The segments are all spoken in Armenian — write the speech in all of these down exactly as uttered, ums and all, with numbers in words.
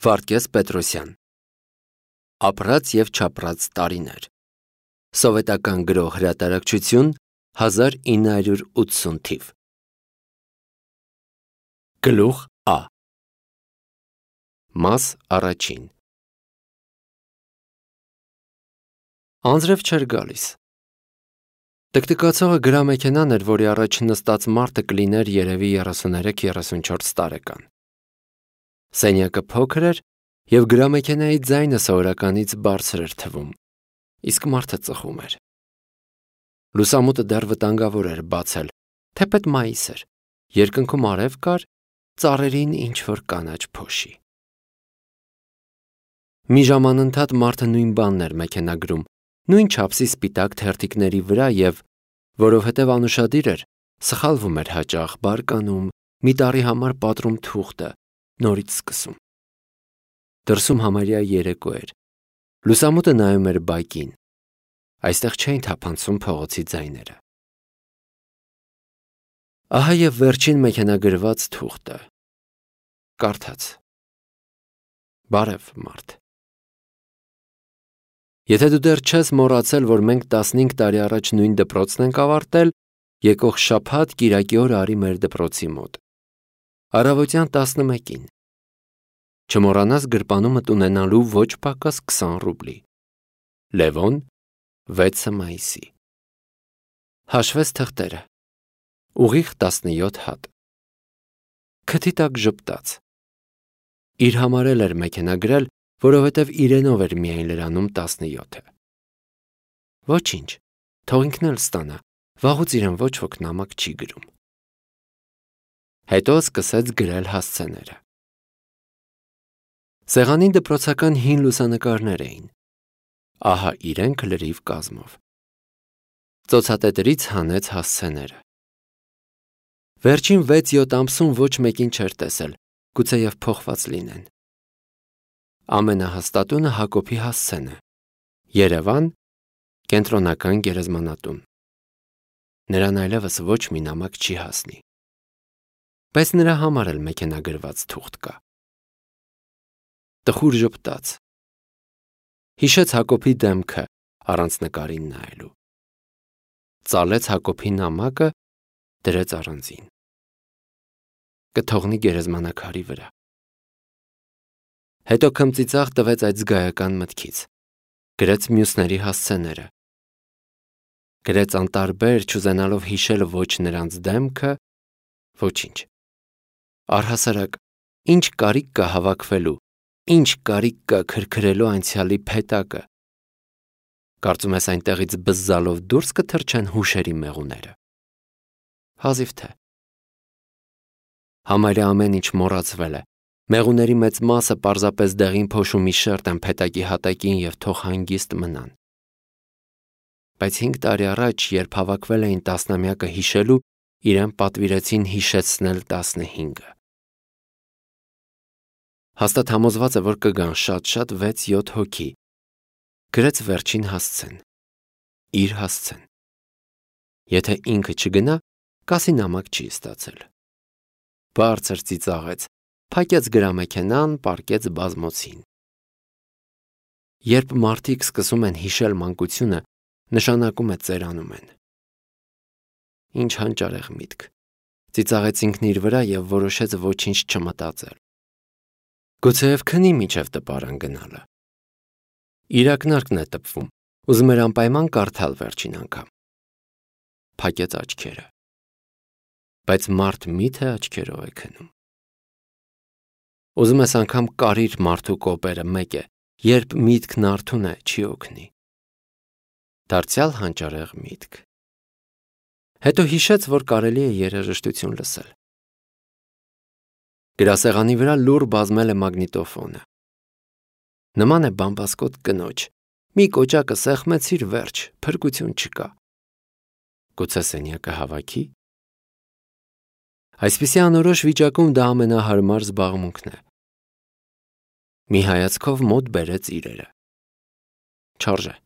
Վարդգես Պետրոսյան Ապրած և չապրած տարիներ Սովետական գրող հրատարակչություն հազար ինը հարյուր ութսուն թիվ Գլուխ Ա Մաս առաջին Անձրև չէր գալիս Տկտկացողը գրամեքենան էր, որի առաջ նստած մարդը կլիներ երևի երեսուններեք երեսունչորս տարեկան Սենյակը փոքր էր և գրամեքենայի ձայնը սովորականից բարձր էր թվում, իսկ մարդը ծխում էր: Լուսամուտը դեռ վտանգավոր էր բացել, թեպետ մայիս էր, երկնքում արև կար, ծառերին ինչ-որ կանաչ փոշի: Մի ժամ անընդհատ մարդը նույն բանն էր մեքենագրում, նույն չափսի սպիտակ թերթիկների վրա և, որովհետև անուշադիր էր, սխալվում էր հաճախ, բարկանում, մի տարի համար պատռում թուղթը, նորից սկսում: Դրսում համարյա երեկո էր, լուսամուտը նայում էր բակին, այստեղ չէին թափանցում փողոցի ձայները: Ահա և վերջին մեքենագրված թուղթը: Կարդաց. Բարև մարդ: Եթե դու դեռ չես մոռացել, որ մենք տասնհինգ տարի առաջ նույն դպրոցն ենք ավարտել, եկող շաբաթ կիրակի օրը արի մեր դպրոցի մոտ: Առավոտյան տասնմեկին: Չմոռանաս գրպանումդ ունենալու ոչ պակաս քսան ռուբլի: Լևոն, վեցը մայիսի: Հաշվեց թղթերը: Ուղիղ տասնյոթ հատ: Քթի տակ ժպտաց: Իր համար էլ էր մեքենագրել, որովհետև իրենով էր միայն լրանում տասնյոթը: Ոչինչ, թող ինքն էլ ստանա, վաղուց իրեն ոչ ոք նամակ չի գրում: Հետո սկսեց գրել հասցեները: Սեղանին դպրոցական հին լուսանկարներ էին: Ահա իրենք լրիվ կազմով: Ծոցատետրից հանեց հասցեները: Վերջին վեց-յոթ ամսում ոչ մեկին չէր տեսել, գուցեև փոխված լինեն: Ամենահաստատունը Հակոբի հասցեն է: Երևան, Կենտրոնական գերեզմանատուն: Նրան այլևս ոչ մի նամակ չի հասնի: Բայց նրա համար էլ մեքենագրված թուղթ կա: Տխուր ժպտաց: Հիշեց Հակոբի դեմքը առանց նկարին նայելու: Ծալեց Հակոբի նամակը, դրեց առանձին: Կթողնի գերեզմանակարի վրա: Հետո քմծիծաղ տվեց այդ զգայական մտքից: Գրեց մյուսների հասցեները: Գրեց անտարբեր, չուզենալով հիշել ոչ նրանց դեմքը, ոչինչ: Առհասարակ, ինչ կարիք կա հավաքվելու, ինչ կարիք կա քրքրելու անցյալի փետակը: Կարծում ես այնտեղից բզզալով դուրս կթռչեն հուշերի մեղուները: Հազիվ թե: Համարյա ամեն ինչ մոռացվել է, մեղուների մեծ մասը պարզապես դեղին փոշու մի շերտ են փետակի հատակին և թող հանգիստ մնան: Բայց հինգ տարի առաջ, երբ հավաքվել էին տասնամյակը հիշելու, իրեն պատվիրեցին հիշեցնել տասնհինգը: Հաստատ համոզված է, որ կգան շատ-շատ վեց-յոթ հոգի: Գրեց վերջին հասցեն: Իր հասցեն: Եթե ինքը չգնա, կասի նամակ չի ստացել: Բարձր ծիծաղեց, փակեց գրամեքենան, պառկեց բազմոցին: Երբ մարդիկ սկսում են հիշել մանկությունը, նշանակում է ծերանում են: Ինչ հանճարեղ միտք, ծիծաղեց ինքն իր վրա և որոշեց ոչինչ չմտածել: Գուցեև քնի մինչև տպարան գնալը: Իր ակնարկն է տպվում, ուզում էր անպայման կարդալ վերջին անգամ: Փակեց աչքերը: Բայց մարդ մի՞թե աչքերով է քնում: Ուզում ես անգամ կարիր մարդու կոպերը, մեկ է, երբ միտքն արթուն է, չի օգնի: Դարձյալ հանճարեղ միտք: Հետո հիշեց, որ կարելի է երաժշտություն լսել: Գրասեղանի վրա լուռ բազմել է մագնիտոֆոնը: Նման է բամբասկոտ կնոջ, մի կոճակը սեղմեցիր, վերջ, փրկություն չկա: Գուցե սենյակը հավաքի: Այսպիսի անորոշ վիճակում դա ամենահարմար զբաղմունքն է: Մի հայացքով մոտ բերեց իրերը: Չարժե: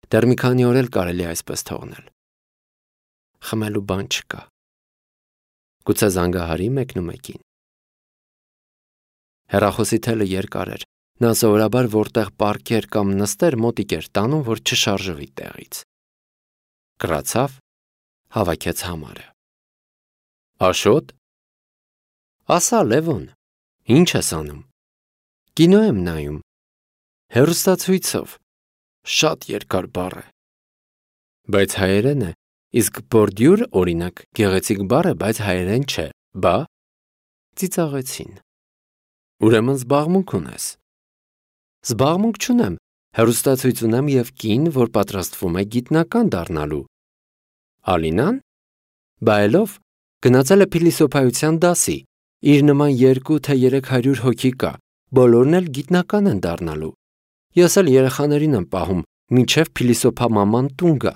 Դեռ մի քանի օր էլ կարելի է այսպես թողնել: Խմելու բան չկա: Գուցե զանգահարի մեկնումեկին: Հեռախոսի թելը երկար էր։ Նա սովորաբար որտեղ պառկեր կամ նստեր մոտիկ էր տանում, որ չշարժվի տեղից։ Կրացավ, հավաքեց համարը։ Աշոտ։ Ասա, Լևոն, ինչ ես անում։ Կինո եմ նայում։ Հեռուստացույցով։ Շատ երկար բառ է։ Բայց հայերեն է, իսկ բորդյուր, օրինակ, գեղեցիկ բառ է, բայց հայերեն չէ, բա։ Ծիծաղեցին։ Ուրեմն զբաղմունք ունես։ Զբաղմունք չունեմ, հեռուստացույց ունեմ և կին, որ պատրաստվում է գիտնական դառնալու։ Ալինան։ Բայելով գնացել է փիլիսոփայության դասի, իր նման երկու թե երեք հարյուր հոգի կա, բոլորն էլ գիտնական են դառնալու։ Ես էլ երեխաներին եմ պահում, մինչև փիլիսոփա մաման տուն գա։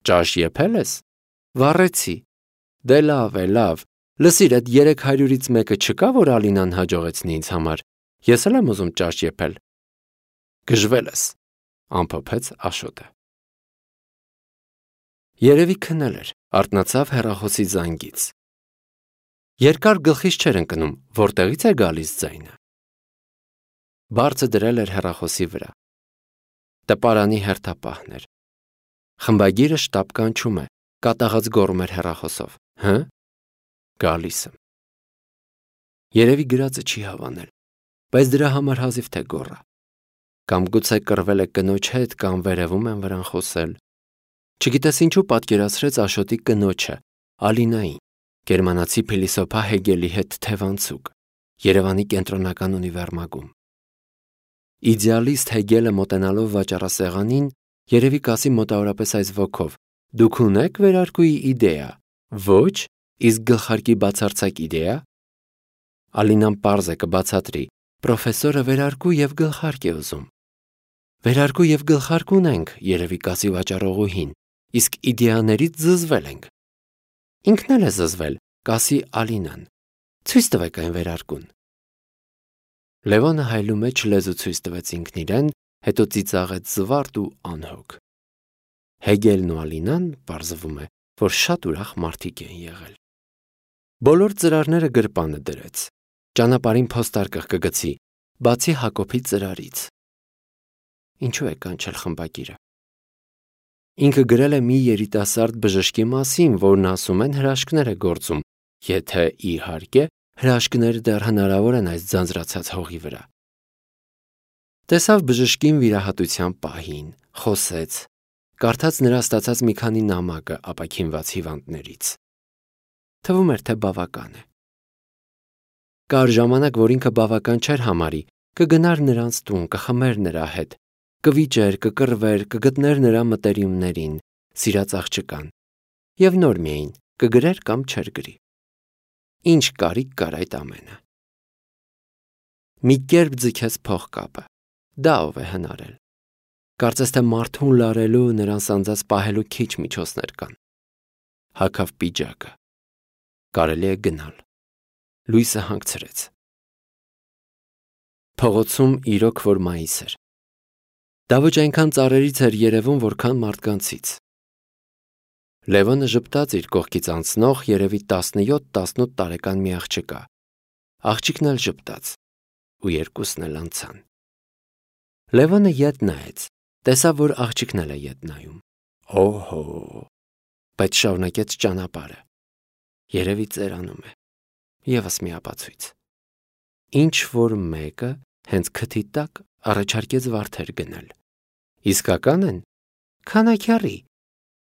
Ճաշ եփել ես։ Վառեցի։ Դե լավ է, լավ։ Լսիր, այդ երեք հարյուրից մեկը չկա, որ Ալինան հաջողեցնի ինձ համար։ Ես էլ եմ ուզում ճաշ եփել։ Գժվել ես, ամփոփեց Աշոտը։ Երևի քնել էր, արթնացավ հեռախոսի զանգից։ Երկար գլխից չէր ընկնում, որտեղից է գալիս ձայնը։ Բարձը դրել էր հեռախոսի վրա։ Տպարանի հերթապահն էր։ Խմբագիրը շտապ կանչում է, կատաղած գոռում էր հեռախոսով։ Հը՞։ Գալիս եմ։ Երևի գրածը չի հավանել, բայց դրա համար հազիվ թե գոռա։ Կամ գուցե կռվել է կնոջ հետ, կամ վերևում են վրան խոսել։ Չգիտես ինչու պատկերացրեց Աշոտի կնոջը, Ալինային, գերմանացի փիլիսոփա Հեգելի հետ թևանցուկ, Երևանի կենտրոնական ունիվերմագում։ Իդեալիստ Հեգելը մոտենալով վաճառասեղանին, երևի կասի մոտավորապես այս ոգով. դուք ունեք վերարկուի իդեա, ոչ, իսկ գլխարկի բացարձակ իդեա։ Ալինան պարզ է կբացատրի, պրոֆեսորը վերարկու և գլխարկ է ուզում։ Վերարկու և գլխարկ ունենք, երևի կասի վաճառողուհին, իսկ իդեաներից զզվել ենք։ Ինքն էլ է զզվել, կասի Ալինան։ Ցույց տվեք այն վերարկուն։ Լևոնը հայլու մեջ լեզու ցույց տվեց ինքն իրեն, հետո ծիծաղեց զվարթ ու անհոգ։ Հեգելն ու Ալինան, պարզվում է, որ շատ ուրախ մարդիկ են եղել։ Բոլոր ծրարները գրպանը դրեց։ Ճանապարհին փոստարկղ կգցի, բացի Հակոբի ծրարից։ Ինչու է կանչել խմբագիրը։ Ինքը գրել է մի երիտասարդ բժշկի մասին, որն ասում են հրաշքներ է գործում, եթե իհարկե հրաշքները դեռ հնարավոր են այս ձանձրացած հողի վրա։ Տեսավ բժշկին վիրահատության պահին, խոսեց, կարդաց նրա ստացած մի քանի նամակը ապաքինված հիվանդներից։ Թվում էր, թե բավական է։ Կար ժամանակ, որ ինքը բավական չէր համարի, կգնար նրանց տուն, կխմեր նրա հետ, կվիճեր, կկռվեր, կգտներ նրա մտերիմներին, սիրած աղջկան, և նոր միայն կգրեր կամ չէր գրի։ Ինչ կարիք կար այդ ամենը։ Մի կերպ ձգեց փողկապը, դա ով է հնարել։ Կարծես թե մարդուն լարելու, նրան սանձած պահելու քիչ միջոցներ կան։ Հագավ պիջակը։ Կարելի է գնալ։ Լույսը հանգցրեց։ Փողոցում իրոք որ մայիս էր։ Դա ոչ այնքան ծառերից էր երևում, որքան մարդկանցից։ Լևոնը ժպտաց իր կողքից անցնող երևի տասնյոթ տասնութ տարեկան մի աղջկա։ Աղջիկն էլ ժպտաց, ու երկուսն էլ անցան։ Լևոնը ետ նայեց, տեսավ, որ աղջիկն էլ է ետ նայում։ Օհո, բայց շարունակեց ճանապարհը։ Երևի ծերանում է։ Եվս մի ապացույց։ Ինչ որ մեկը հենց քթի տակ առաջարկեց վարդեր գնել։ Իսկական են։ Քանաքյարի։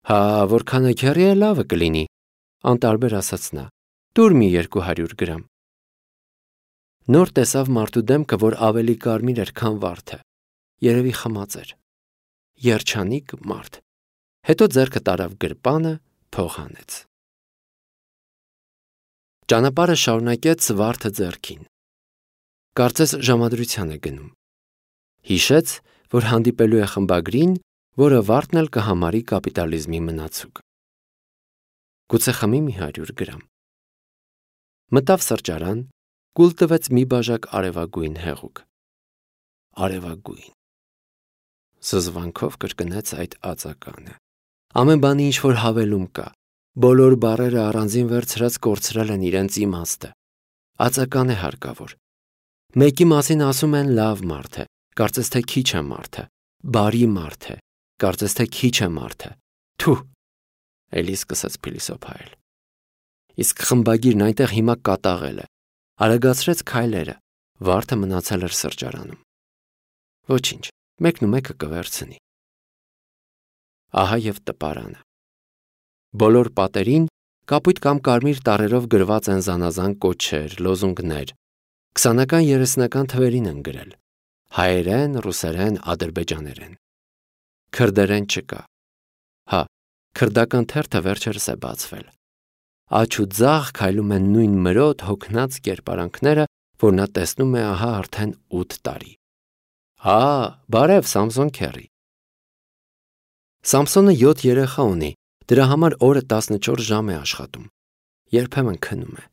Հա, որ քանաքյարի է լավը կլինի, անտարբեր ասաց նա։ Տուր մի երկու հարյուր գրամ։ Նոր տեսավ մարդու դեմքը, որ ավելի կարմիր էր, քան վարդը։ Երևի խմած էր։ Երջանիկ մարդ։ Հետո ձեռքը տարավ գրպանը, փող հանեց։ Ճանապարհը շարունակեց վարդը ձեռքին։ Կարծես ժամադրության է գնում։ Հիշեց, որ հանդիպելու է խմբագրին, որը վարդն էլ կհամարի կապիտալիզմի մնացուկ։ Գուցե խմի մի հարյուր գրամ։ Մտավ սրճարան, կուլ տվեց մի բաժակ արևագույն հեղուկ։ Արևագույն։ Զզվանքով կրկնեց այդ ածականը։ Ամեն բանի ինչ որ հավելում կա։ Բոլոր բառերը առանձին վերցրած կորցրել են իրենց իմաստը։ Ածական է հարկավոր։ Մեկի մասին ասում են լավ մարդ է, կարծես թե քիչ է մարդը, բարի մարդ է, կարծես թե քիչ է մարդը։ Թու, էլի սկսեց փիլիսոփայել։ Իսկ խմբագիրն այնտեղ հիմա կատաղել է, արագացրեց քայլերը, վարդը մնացել էր սրճարանում։ Ոչինչ, մեկն ու մեկը կվերցնի։ Ահա եւ տպարանը։ Բոլոր պատերին կապույտ կամ կարմիր տառերով գրված են զանազան կոչեր, լոզունգներ, քսանական երեսնական թվերին են գրել, հայերեն, ռուսերեն, ադրբեջաներեն։ Քրդերեն չկա։ Հա, քրդական թերթը վերջերս է բացվել։ Աջ ու ձախ քայլում են նույն մրոտ հոգնած կերպարանքները, որ նա տեսնում է ահա արդեն ութ տարի։ Հա, բարև Սամսոն քեռի։ Սամսոնը յոթ երեխա ունի, դրա համար օրը տասնչորս ժամ է աշխատում։ Երբեմն քնում է։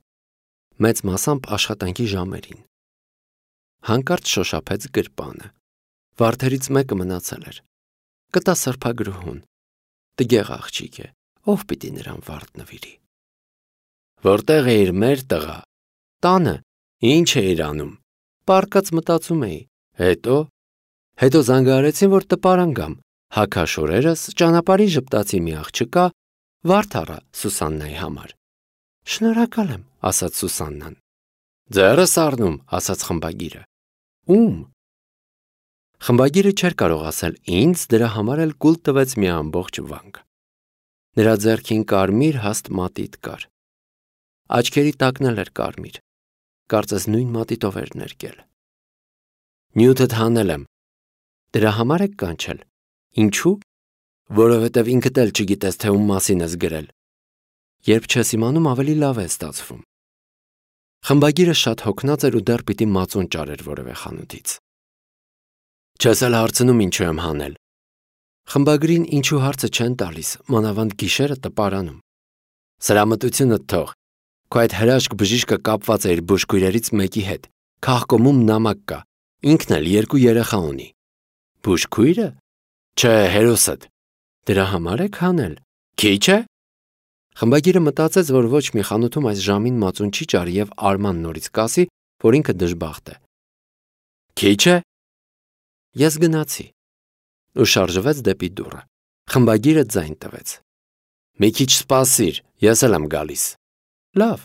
Մեծ մասամբ աշխատանքի ժամերին։ Հանկարծ շոշափեց գրպանը։ Վարդերից մեկը մնացել էր։ Կտա սրբագրուհուն։ Տգեղ աղջիկ է, ով պիտի նրան վարդ նվիրի։ Որտեղ էիր մեր տղա։ Տանը, ինչ էիր անում։ Պարկած մտածում էի։ Հետո, հետո զանգահարեցին, որ տպարան գամ։ Հագաշորերս ճանապարհի ժպտացի մի աղջկա, վարդ առա Սուսաննայի համար։ Շնորհակալ եմ, ասաց Սուսաննան։ Ձեռս առնում, ասաց խմբագիրը։ Ում։ Խմբագիրը չէր կարող ասել ինձ, դրա համար էլ կուլ տվեց մի ամբողջ վանք։ Նրա ձեռքին կարմիր հաստ մատիտ կար։ Աչքերի տակն էլ էր կարմիր, կարծես նույն մատիտով էր ներկել։ Նյութդ հանել եմ։ Դրա համար եք կանչել։ Ինչու՞։ Որովհետև ինքդ էլ չգիտես, թե ում մասին ես գրել։ Երբ չես իմանում, ավելի լավ է ստացվում։ Խմբագիրը շատ հոգնած էր ու դեռ պիտի մածուն ճարեր որևէ խանութից։ Չես էլ հարցնում ինչու եմ հանել։ Խմբագրին ինչու հարցը չեն տալիս, մանավանդ գիշերը տպարանում։ Սրամտությունը թող։ Քո այդ հրաշք բժիշկը կապված է իր բուժքույրերից մեկի հետ։ Քաղկոմում նամակ կա։ Ինքն էլ երկու երեխա ունի։ Բուժքույրը։ Չէ, հերոսդ։ Դրա համար եք հանել։ Քիչ է։ Խմբագիրը մտածեց, որ ոչ մի խանութում այս ժամին մածուն չի ճարի եւ Արման նորից կասի, որ ինքը դժբախտ է։ Քիչ է։ Ես գնացի։ Ու շարժվեց դեպի դուռը։ Խմբագիրը ձայն տվեց։ Մի քիչ սպասիր, ես էլ եմ գալիս։ Լավ։